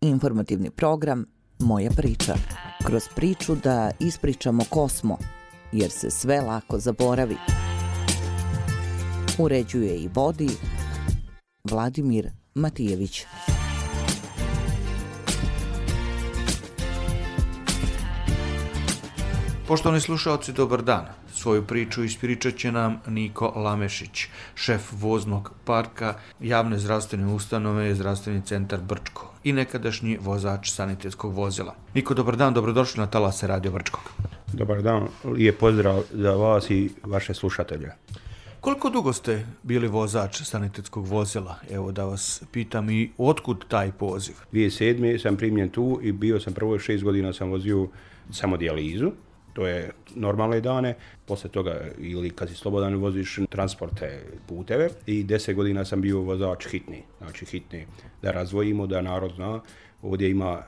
Informativni program Moja priča. Kroz priču da ispričamo ko smo, jer se sve lako zaboravi. Uređuje i vodi Vladimir Matijević. Poštovani slušalci, dobar dan. Svoju priču ispričat će nam Niko Lamešić, šef voznog parka javne zdravstvene ustanove Zdravstveni centar Brčko i nekadašnji vozač sanitetskog vozila. Niko, dobar dan, dobrodošli na talase Radio Brčkog. Dobar dan, lijep pozdrav za vas i vaše slušatelje. Koliko dugo ste bili vozač sanitetskog vozila? Evo da vas pitam i otkud taj poziv? 2007. sam primljen tu i bio sam prvo 6 godina sam vozio samo dijalizu. To je normalne dane, posle toga ili kad si slobodan voziš transporte, puteve i 10 godina sam bio vozač hitni. Znači hitni, da razdvojimo, da narod zna, ovdje ima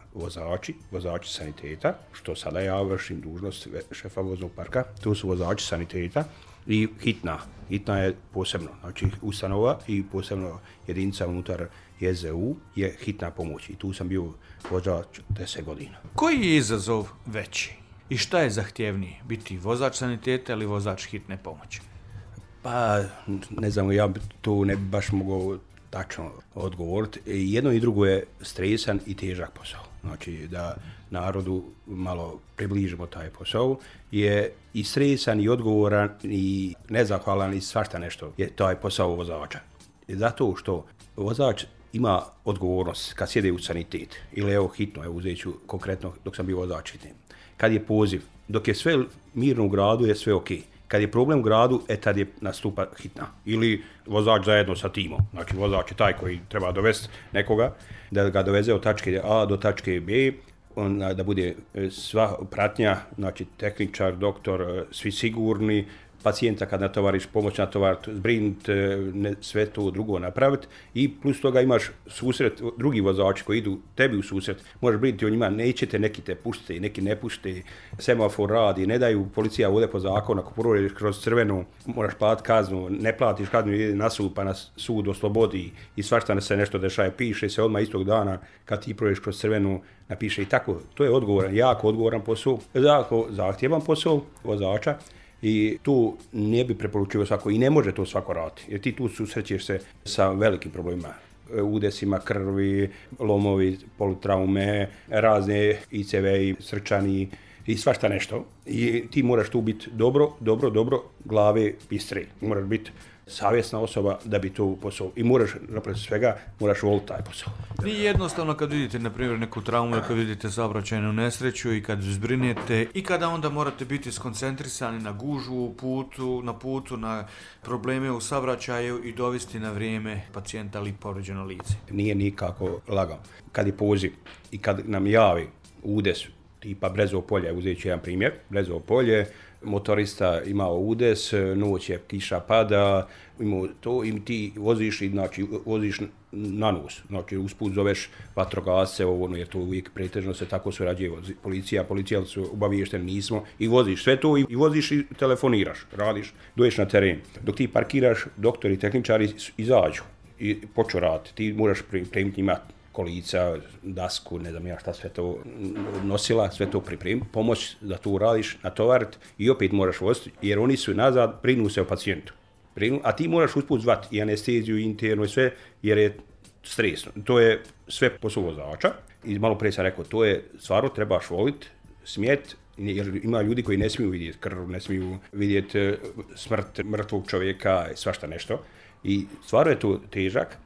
vozači saniteta, što sada ja vršim dužnost šefa voznog parka, tu su vozači saniteta i hitna. Hitna je posebno, znači ustanova i posebno jedinica unutar JZU je hitna pomoć i tu sam bio vozač 10 godina. Koji je izazov veći? I šta je zahtjevniji, biti vozač saniteta ili vozač hitne pomoći? Pa, ne znam, ja tu ne bi baš mogao tačno odgovoriti. Jedno i drugo je stresan i težak posao. Znači, da narodu malo približimo taj posao, je i stresan i odgovoran i nezahvalan i svašta nešto je taj posao vozača. Zato što vozač ima odgovornost kad sjede u sanitet ili evo hitno, evo uzet ću konkretno dok sam bio vozač hitni. Kad je poziv, dok je sve mirno u gradu je sve ok. Kad je problem u gradu, tad je nastupa hitna. Ili vozač zajedno sa timom. Znači vozač je taj koji treba dovesti nekoga, da ga doveze od tačke A do tačke B, da bude sva pratnja, znači tehničar, doktor, svi sigurni, pacijenta kad natovariš, pomoć natovariti, zbrinuti, sve to drugo napraviti i plus toga imaš susret, drugi vozači koji idu tebi u susret, možeš brinuti o njima, nećete, neki te pušte, neki ne pušte, semafor radi, ne daju, policija ovdje po zakonu, ako prođeš kroz crvenu, moraš platiti kaznu, ne platiš kaznu, ide na sud, pa na sud oslobodi i svašta se nešto dešaje, piše se odmah istog dana kad ti prođeš kroz crvenu, napiše i tako, to je odgovoran, jako odgovoran posao, jako zahtjevan posao vozača. I tu ne bi preporučio svako i ne može to svako raditi, jer ti tu susrećeš se sa velikim problemima, udesima krvi, lomovi, polutraume, razne ICV, srčani i svašta nešto. I ti moraš tu biti dobro, glave bistre. Moraš biti savjesna osoba da bi to posao. I moraš, napravo svega, moraš voliti taj posao. Nije jednostavno kad vidite, na primjer, neku traumu, kad vidite saobraćajnu nesreću i kad zbrinete i kada onda morate biti skoncentrisani na gužvu na putu, na probleme u saobraćaju i dovesti na vrijeme pacijenta ili povređeno lice. Nije nikako lagano. Kad je poziv i kad nam javi udes, tipa Brezovo polje, uzet ću jedan primjer, Brezovo polje, motorista imao udes, noć je, kiša pada, imao to i ti voziš, znači voziš na nos, znači usput zoveš vatrogasce, jer to uvijek pretežno se tako surađuje, policija su obaviješteni, nismo, i voziš sve to i voziš i telefoniraš, radiš, dođeš na teren. Dok ti parkiraš, doktori, tehničari izađu i počnu raditi, ti moraš pripremiti njima kolica, dasku, ne znam ja šta sve to nosila, sve to pripremi, pomoć da to uradiš, natovariti i opet moraš voziti, jer oni su nazad, brinu se o pacijentu. A ti moraš usput zvati i anesteziju, internu i sve, jer je stresno. To je sve posao vozača i malo prije sam rekao, to je stvarno trebaš voliti, smjeti, jer ima ljudi koji ne smiju vidjeti krv, ne smiju vidjeti smrt mrtvog čovjeka, svašta nešto. I stvarno je to težak.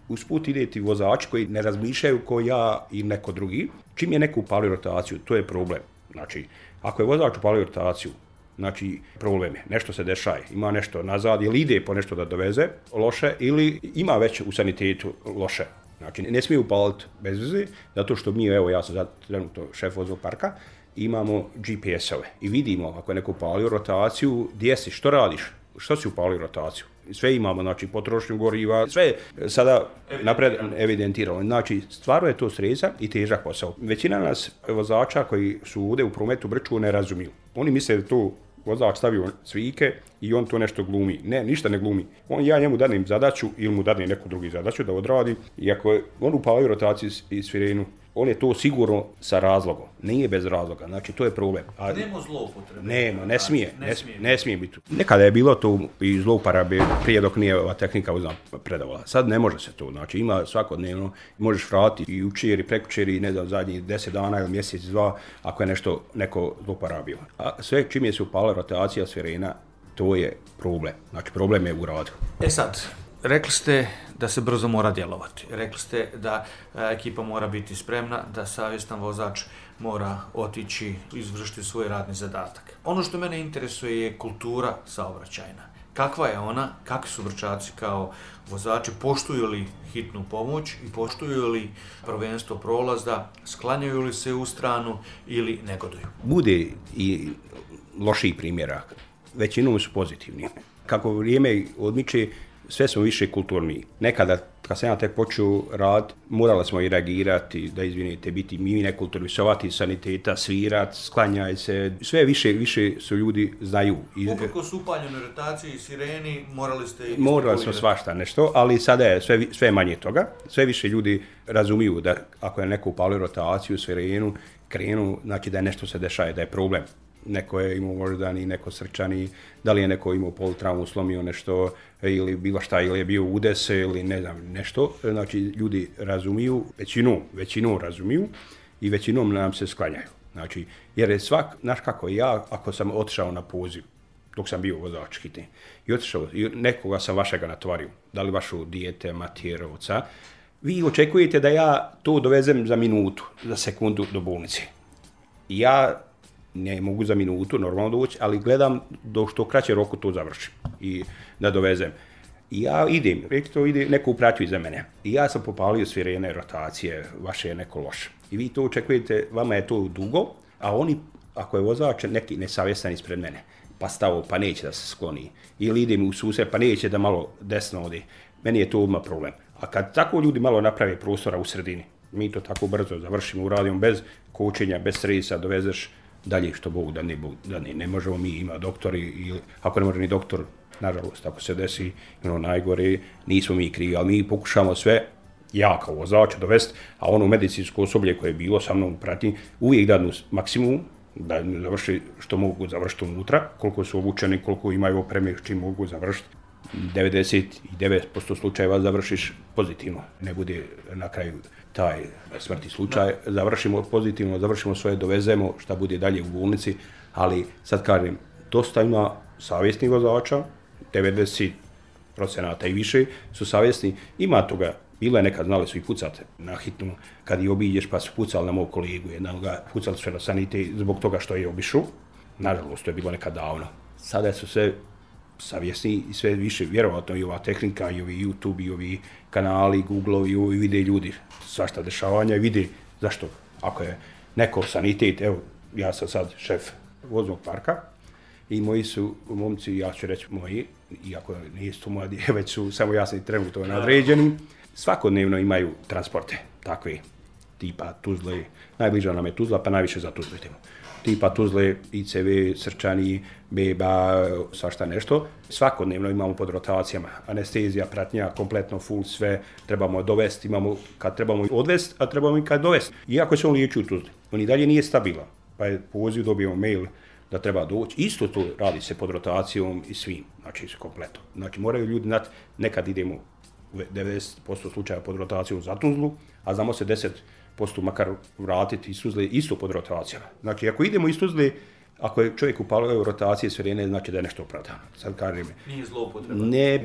Usput ide ti vozači koji ne razmišljaju kao ja i neko drugi. Čim je neko upalio rotaciju, to je problem. Znači, ako je vozač upalio rotaciju, znači problem je, nešto se dešaje, ima nešto nazad ili ide po nešto da doveze loše ili ima već u sanitetu loše. Znači, ne smije upaliti bez veze, zato što mi, evo ja sam trenutno šef voznog parka, imamo GPS-ove i vidimo ako je neko upalio rotaciju, gdje si, što radiš, što si upalio rotaciju. Sve imamo, znači potrošnju goriva, sve sada napred evidentirano. Znači, stvarno je to stresan i težak posao. Većina nas vozača koji su ovdje u prometu Brčku ne razumiju. Oni misle da to vozač stavio cvike i on to nešto glumi. Ne, ništa ne glumi. Ja njemu danem zadaću ili mu danem neku drugu zadaću da odradi i ako on upalio rotaciju i svirenu, on je to sigurno sa razlogom. Nije bez razloga, znači to je problem. Nema zloupotrebe. Nema, ne smije biti. Nekada je bilo to i zlouporabe prije dok nije ova tehnika predavala. Sad ne može se to, znači ima svakodnevno, možeš vratiti i jučer i prekjučer i ne znam, zadnjih 10 dana ili mjesec, 2, ako je nešto neko zlouporabio. A sve čim je se upala rotacija sirena, to je problem. Znači problem je u radu. Sad, rekli ste da se brzo mora djelovati. Rekli ste da ekipa mora biti spremna, da savjestan vozač mora otići, izvršiti svoj radni zadatak. Ono što mene interesuje je kultura saobraćajna. Kakva je ona, kakvi su Brčaci kao vozači, poštuju li hitnu pomoć i poštuju li prvenstvo prolaza, sklanjaju li se u stranu ili negoduju? Bude i loših primjera, većinom su pozitivni. Kako vrijeme odmiče, sve smo više kulturni. Nekada, kad sam ja tek počeo rad, morali smo i reagirati, da izvinite, biti mi nekulturni, sovati saniteta, svirat, sklanjaj se. Sve više su ljudi znaju. Uprko su upaljenoj rotaciji, sireni, morali smo svašta nešto, ali sada je sve manje toga. Sve više ljudi razumiju da ako je neko upalio rotaciju, sirenu, krenu, znači da je nešto se dešaje, da je problem. Neko je imao moždani, neko srčani, da li je neko imao politraumu, slomio nešto ili bilo šta, ili je bio udes ili ne znam nešto. Znači ljudi razumiju, većinom razumiju i većinom nam se sklanjaju. Znači, jer je znaš kako, ja ako sam otišao na poziv, dok sam bio vozač hitne, i otišao, i nekoga sam vašega natvario, da li vašu dijete, matjerovca, vi očekujete da ja to dovezem za minutu, za sekundu do bolnice. Ja ne mogu za minutu normalno doći, ali gledam do što kraće roku to završim i da dovezem. I ja idem, ide neko upratio iza mene. I ja sam popalio sirene, rotacije, vaše je neko loše. I vi to očekujete, vama je to dugo, a oni, ako je vozač neki nesavjestan ispred mene, pa stavo, pa neće da se skloni. Ili idem u susret, pa neće da malo desno ode. Meni je to odmah problem. A kad tako ljudi malo naprave prostora u sredini, mi to tako brzo završimo, uradimo bez kočenja, bez stresa, dovezeš dalje što Bog da ne možemo mi, ima doktori, ili ako ne može ni doktor, nažalost, ako se desi najgore, nismo mi krivi, ali mi pokušamo sve, ja kao vozač dovesti, a ono medicinsko osoblje koje je bilo sa mnom prati, uvijek dadnu maksimum, da završi što mogu završiti unutra, koliko su obučeni, koliko imaju opreme, čim mogu završiti. 99% slučajeva završiš pozitivno, ne bude na kraju taj smrtni slučaj, završimo pozitivno, završimo svoje, dovezemo šta bude dalje u bolnici, ali sad kažem, dosta ima savjesnih vozača, 90% i više su savjesni, ima toga, bilo je nekad, znali su i pucati na hitnu, kad i obiđeš pa su pucali na mog kolegu, jednoga pucali su na sanite zbog toga što je obišao, nažalost to je bilo nekad davno. Sada su sve savjesni i sve više, vjerovatno i ova tehnika, i ovi YouTube, i ovi kanali, Google-ovi, i vide ljudi svašta dešavanja i vide zašto. Ako je neko sanitet, evo, ja sam sad šef voznog parka i moji su momci, ja ću reći moji, iako nisu to mladi, već su samo jasni trenutno nadređeni, svakodnevno imaju transporte takve, tipa Tuzle, najbliža nam je Tuzla, pa najviše za Tuzlu idemo. Tipa Tuzle, ICV, srčani, beba, svašta nešto. Svakodnevno imamo pod rotacijama anestezija, pratnja, kompletno full sve, trebamo dovesti, imamo kad trebamo odvesti, a trebamo i kad dovesti. Iako se on liječi u Tuzli, on i dalje nije stabilan, pa je poziv, dobijemo mail da treba doći. Isto to radi se pod rotacijom i svim, znači kompletno. Znači moraju ljudi znati, nekad idemo u 90% slučaja pod rotacijom za Tuzlu, a znamo se 10% makar vratiti iz Tuzle isto pod rotacijama. Znači, ako idemo iz Tuzle, ako je čovjek upalio rotacije sirene, znači da je nešto opravdano. Sad kažem, nije zloupotreba. Ne,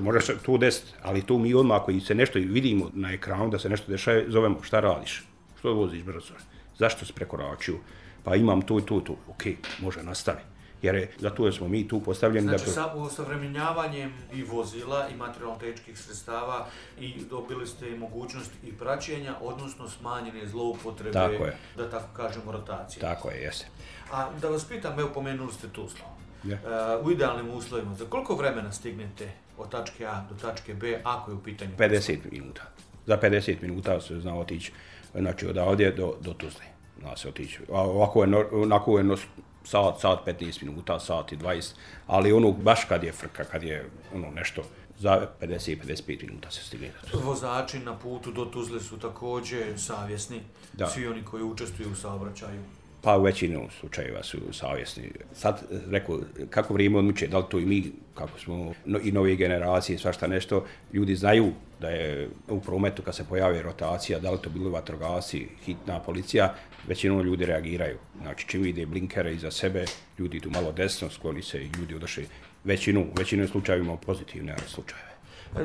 može se to desiti, ali to mi odmah, ako se nešto vidimo na ekranu da se nešto dešava, zovemo šta radiš, što voziš brzo, zašto si prekoračio, pa imam to i to, ok, može nastavi. Jer zato smo mi tu postavljeni znači, da... Znači, osavremenjavanjem i vozila i materijalno-tehničkih sredstava i dobili ste i mogućnost i praćenja, odnosno smanjene zloupotrebe, da tako kažemo, rotacije. Tako je, jeste. A da vas pitam, evo pomenuli ste Tuzlu. U idealnim uslovima, za koliko vremena stignete od tačke A do tačke B, ako je u pitanju? 50 minuta. Za 50 minuta se zna otići, znači od ovdje do Tuzle. Zna se otići. Onako je sat 15 minuta, sat i 20, ali ono baš kad je frka, kad je ono nešto za 50-55 minuta se stigne. Vozači na putu do Tuzle su također savjesni, da. Svi oni koji učestvuju u saobraćaju. Pa u većinu slučajeva su savjesni. Sad, rekao, kako vrijeme odmiče, da li to i mi, kako smo i nove generacije, svašta nešto, ljudi znaju da je u prometu kad se pojavi rotacija, da li to bilo vatrogasci, hitna policija, većinom ljudi reagiraju. Znači, čim vide blinkere iza sebe, ljudi idu malo desno, skloni se i ljudi odošli većinu slučajevima pozitivne slučajeve.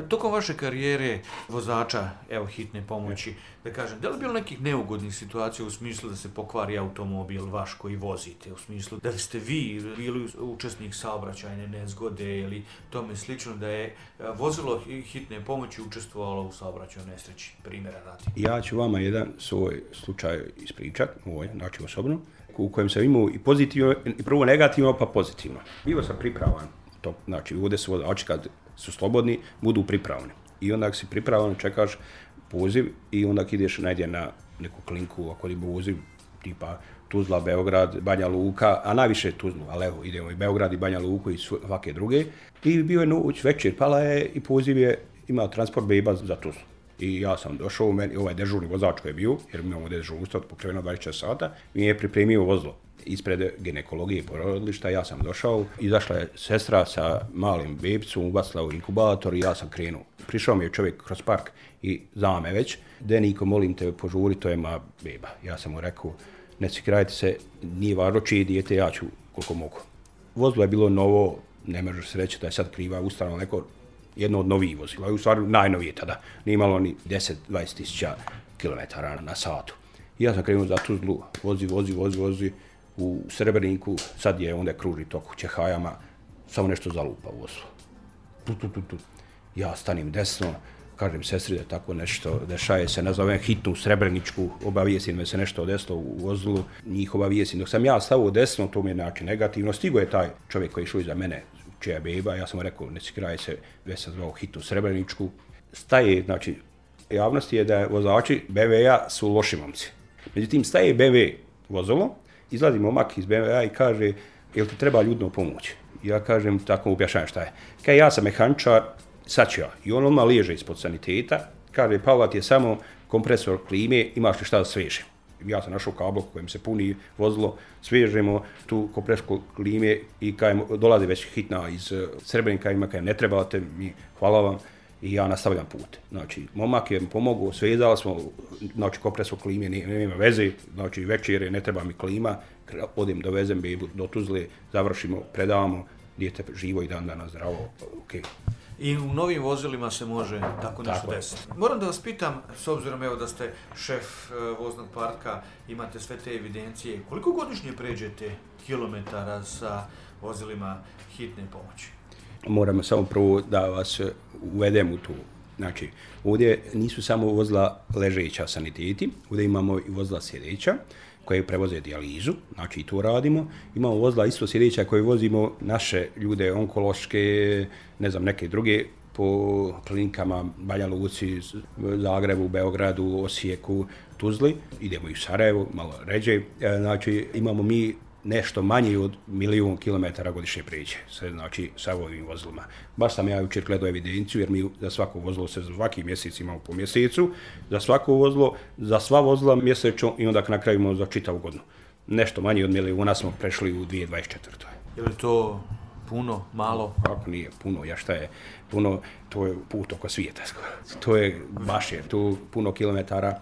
Tokom vaše karijere vozača, evo, hitne pomoći, da kažem, da li bilo nekih neugodnih situacija u smislu da se pokvari automobil vaš koji vozite, u smislu da li ste vi bili učesnik saobraćajne nezgode ili tome slično, da je vozilo hitne pomoći učestvovalo u saobraćajnoj nesreći, primjera radi? Ja ću vama jedan svoj slučaj ispričati, znači osobno, u kojem sam imao i pozitivno, i prvo negativno, pa pozitivno. Bio sam pripravan, to, znači ovdje su vozači kad su slobodni, budu pripravni. I onda ako si pripravan, čekaš poziv i onda ideš najde na neku klinku, ako je poziv, tipa Tuzla, Beograd, Banja Luka, a najviše Tuzlu, ali evo, idemo i Beograd i Banja Luku i svake druge. I bio je noć, večer, pala je i poziv je imao transport beba za Tuzlu. I ja sam došao, meni, ovaj dežurni vozač koji je bio, jer imamo dežurstvo pokriveno 24 sata, mi je pripremio vozilo ispred ginekologije i porodilišta. Ja sam došao, izašla je sestra sa malim bebicom, ubacila u inkubator i ja sam krenuo. Prišao mi je čovjek kroz park i zna me već, Deniko, molim te, požuri, to je moja beba. Ja sam mu rekao, ne cikrajte se, nije važno čije dijete, ja ću koliko mogu. Vozilo je bilo novo, ne može se reći da je sad kriva ustanova, neko jedno od novih vozila, u stvari najnovije tada, nije imalo ni 10-20 tisuća kilometara na satu. I ja sam krenuo za Tuzlu, vozi, u Srebreniku, sad je onda kruži tok u Čehajama, samo nešto zalupa u vozilo. Ja stanim desno, kažem sestri da tako nešto dešaje se, nazovem hitnu Srebreničku, obavijestim me se nešto desilo u vozilu, njih obavijestim. Dok sam ja stavio desno, to mi je znači negativno, stigo je taj čovjek koji je išao iza mene, čija je beba, ja sam rekao, ne cikraj se, već sam zvao hitnu Srebreničku. Staje, znači, javnost je da vozači BMW-a su loši momci. Međutim, staje BMW vozilo, izlazi momak iz BMW-a i kaže, jel ti treba ljudno pomoć? Ja kažem, tako mu objašnjavam šta je. Kaj ja sam mehaničar, sad ću ja. I on odmah liježe ispod saniteta, kaže, Pavla ti je samo kompresor klime, imaš li šta da svežem? Ja sam našao kabel kojim se puni vozilo, svežemo tu kompresor klime i kajem, dolazi već hitna iz Srebrenika, ima kajem ne trebate mi, hvala vam. I ja nastavljam put. Znači, momak je mi pomogao, svezali smo, znači, kompresor klime, nema veze, znači, večer ne treba mi klima, odem dovezem bebu do Tuzle, završimo, predavamo, dijete živo i dan danas zdravo, okej. I u novim vozilima se može tako nešto desiti. Moram da vas pitam, s obzirom evo da ste šef voznog parka, imate sve te evidencije, koliko godišnje pređete kilometara sa vozilima hitne pomoći? Moramo samo prvo da vas uvedem u tu. Znači, ovdje nisu samo vozila ležeća saniteti, ovdje imamo i vozila sjedeća koje prevoze dijalizu, znači i to radimo. Imamo vozila isto sjedeća koje vozimo naše ljude onkološke, ne znam, neke druge po klinikama Banja Luci, Zagrebu, Beogradu, Osijeku, Tuzli. Idemo i u Sarajevo, malo ređe. Znači, imamo mi nešto manje od 1.000.000 kilometara godišnje pređe, znači sa ovim vozilima. Baš sam ja jučer gledao evidenciju, jer mi za svako vozilo se svaki mjesec imamo po mjesecu, za svako vozilo, za sva vozila mjesečno i onda na kraju imamo za čitavu godinu. Nešto manje od 1.000.000 smo prešli u 2024. Je li to puno, malo? Kako nije puno, ja šta je puno, to je put oko svijeta skoro. To je baš je, tu puno kilometara.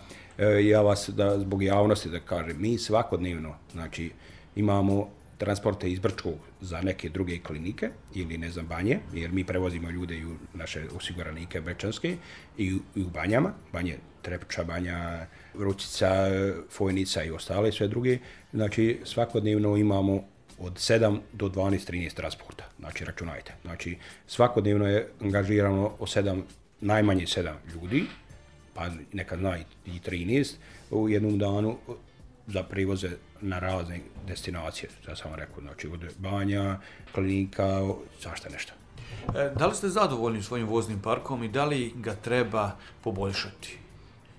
Ja vas, da, zbog javnosti da kažem, mi svakodnevno, znači, imamo transporte iz Brčkog za neke druge klinike ili ne znam Banje, jer mi prevozimo ljude i u naše osiguranike brčanske i u Banjama, Banje Trepča, Banja Vrućica, Fojnica i ostale sve druge. Znači svakodnevno imamo od 7 do 12-13 transporta, znači računajte. Znači svakodnevno je angažirano najmanje 7 ljudi, pa nekad zna i 13 u jednom danu za privoze na razne destinacije, ja sam rekao, znači od Banja, klinika, zašto nešto. Da li ste zadovoljni svojim voznim parkom i da li ga treba poboljšati?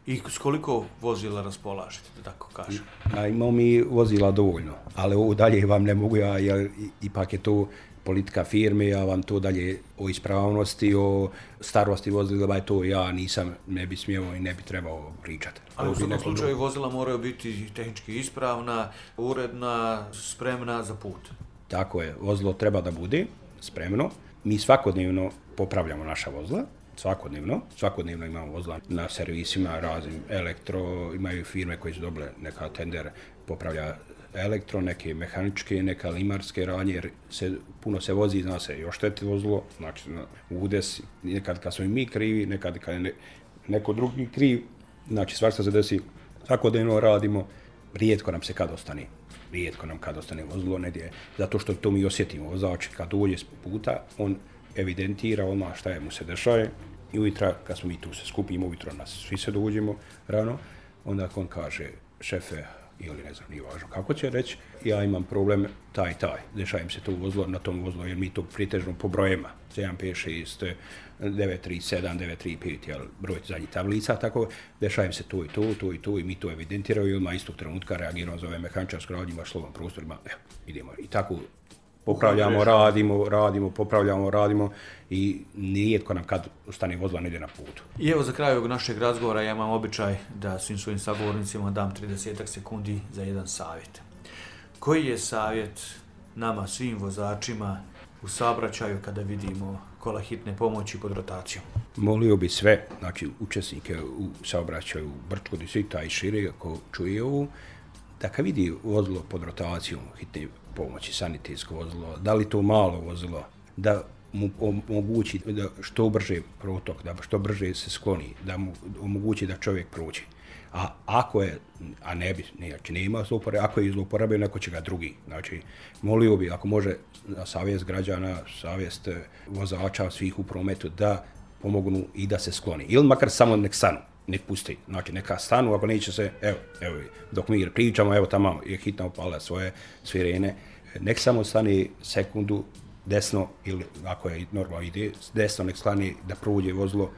I s koliko vozila raspolažete, da tako kažem? Imamo mi vozila dovoljno, ali ovo dalje vam ne mogu ja, jer ipak je to politika firme, ja vam to dalje o ispravnosti, o starosti vozila, to ja ne bi smio i ne bi trebao pričati. Ali u svakom slučaju vozila moraju biti tehnički ispravna, uredna, spremna za put. Tako je, vozilo treba da bude spremno. Mi svakodnevno popravljamo naša vozila, svakodnevno imamo vozila na servisima, raznim elektro, imaju firme koje su dobile neka tender popravlja elektro, neke mehaničke, neka limarske radnje, jer puno se vozi, zna se i ošteti vozilo, znači udes, nekad kad smo i mi krivi, nekad kad je neko drugi kriv, znači svašta se desi, svakodnevno radimo, rijetko nam kad ostane vozilo negdje, zato što to mi osjetimo, vozač kad dođe s puta, on evidentira odmah šta je mu se dešaje i ujutra, kad smo mi tu se skupimo, ujutro nas svi se dođemo rano, onda on kaže, šefe, ili ne znam, nije važno kako će reći, ja imam problem taj, dešajem se to vozilo na tom vozilu, jer mi to pritežno po brojema, 7, 5, 6, 9, 3, 7, 9, 3, 5, jel, broj zadnjih tablica, tako, dešajem se to i mi to evidentiramo i odmah istog trenutka reagiramo za ove mehaničarsko radnje, imaš slovan prostorima, idemo i tako popravljamo, radimo i nijetko nam kad stane vozila ne ide na putu. I evo za kraj ovog našeg razgovora ja imam običaj da svim svojim sagovornicima dam 30 sekundi za jedan savjet. Koji je savjet nama, svim vozačima u saobraćaju kada vidimo kola hitne pomoći pod rotacijom? Molio bi sve, znači učesnike u saobraćaju u Brčko, Disita i šire, ako čuje ovu, da kad vidi vozilo pod rotacijom hitne pomoći, sanitetsko vozilo, da li to malo vozilo, da mu omogući da što brže protok, da što brže se skloni, da mu omogući da čovjek prođe. A ako je, a ne bi, znači nema zlouporabe, ako je zlouporabio, neko će ga drugi. Znači, molio bi, ako može, na savjest građana, savjest vozača, svih u prometu, da pomognu i da se skloni. Ili makar samo nek stanu, nek pusti. Znači, neka stanu, ako neće se, evo, dok mi pričamo, evo tamo je hitna upala svoje sirene, nek samo stane sekundu desno, ili ako je normalno ide, desno nek stane da prođe vozilo,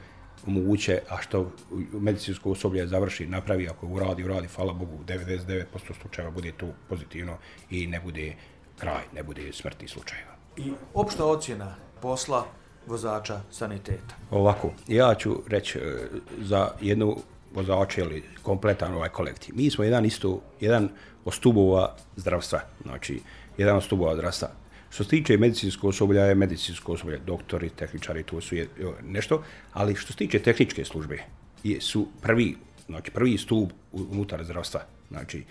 omoguće, a što medicinsko osoblje završi, napravi, ako uradi, hvala Bogu, 99% slučajeva bude to pozitivno i ne bude kraj, ne bude smrtnih slučajeva. I opšta ocjena posla vozača saniteta? Ovako, ja ću reći za jednu vozača ili kompletan ovaj kolektiv. Mi smo jedan od stubova zdravstva, znači jedan od stubova zdravstva. Što se tiče medicinskog osoblja, je medicinsko osoblje, doktori, tehničari, to su nešto, ali što se tiče tehničke službe, su prvi stup unutar zdravstva. Znači,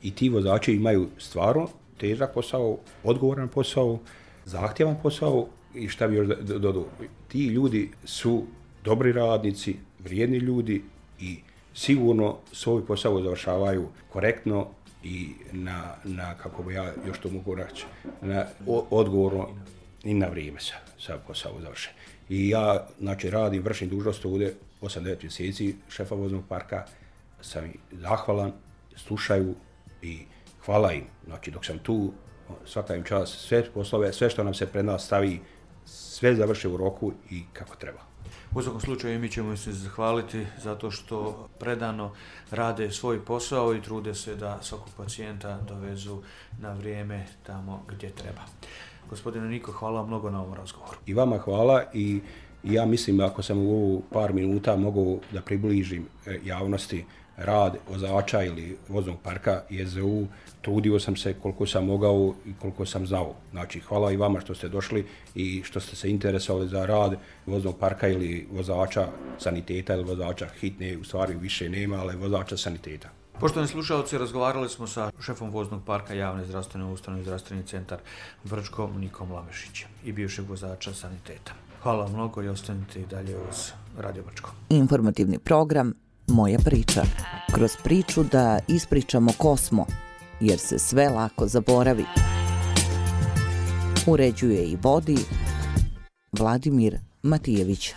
i ti vozači imaju stvarno težak posao, odgovoran posao, zahtjevan posao i šta bi još dodao. Ti ljudi su dobri radnici, vrijedni ljudi i sigurno svoj posao završavaju korektno i na kako bi ja još to mogu reći, na odgovorno i na vrijeme sa posao završe. I ja, znači, vršim dužnost ovdje 8-9 mjeseci šefa voznog parka, sam zahvalan, slušaju i hvala im. Znači, dok sam tu, svaka im čast, sve poslove, sve što nam se pred nas stavi, sve završe u roku i kako treba. U svakom slučaju mi ćemo se zahvaliti zato što predano rade svoj posao i trude se da svakog pacijenta dovezu na vrijeme tamo gdje treba. Gospodine Niko, hvala vam mnogo na ovom razgovoru. I vama hvala i ja mislim ako sam u ovu par minuta mogao da približim javnosti rad vozača ili voznog parka JZU, trudio sam se koliko sam mogao i koliko sam znao. Znači, hvala i vama što ste došli i što ste se interesovali za rad voznog parka ili vozača saniteta ili vozača hitne, u stvari više nema, ali vozača saniteta. Poštovani slušalci, razgovarali smo sa šefom voznog parka javne zdravstvene ustanove Zdravstveni centar Brčko Nikom Lamešićem i bivšeg vozača saniteta. Hvala mnogo i ostanite i dalje uz Radio Brčko. Informativni program Moja priča. Kroz priču da ispričamo ko smo, jer se sve lako zaboravi. Uređuje i vodi Vladimir Matijević.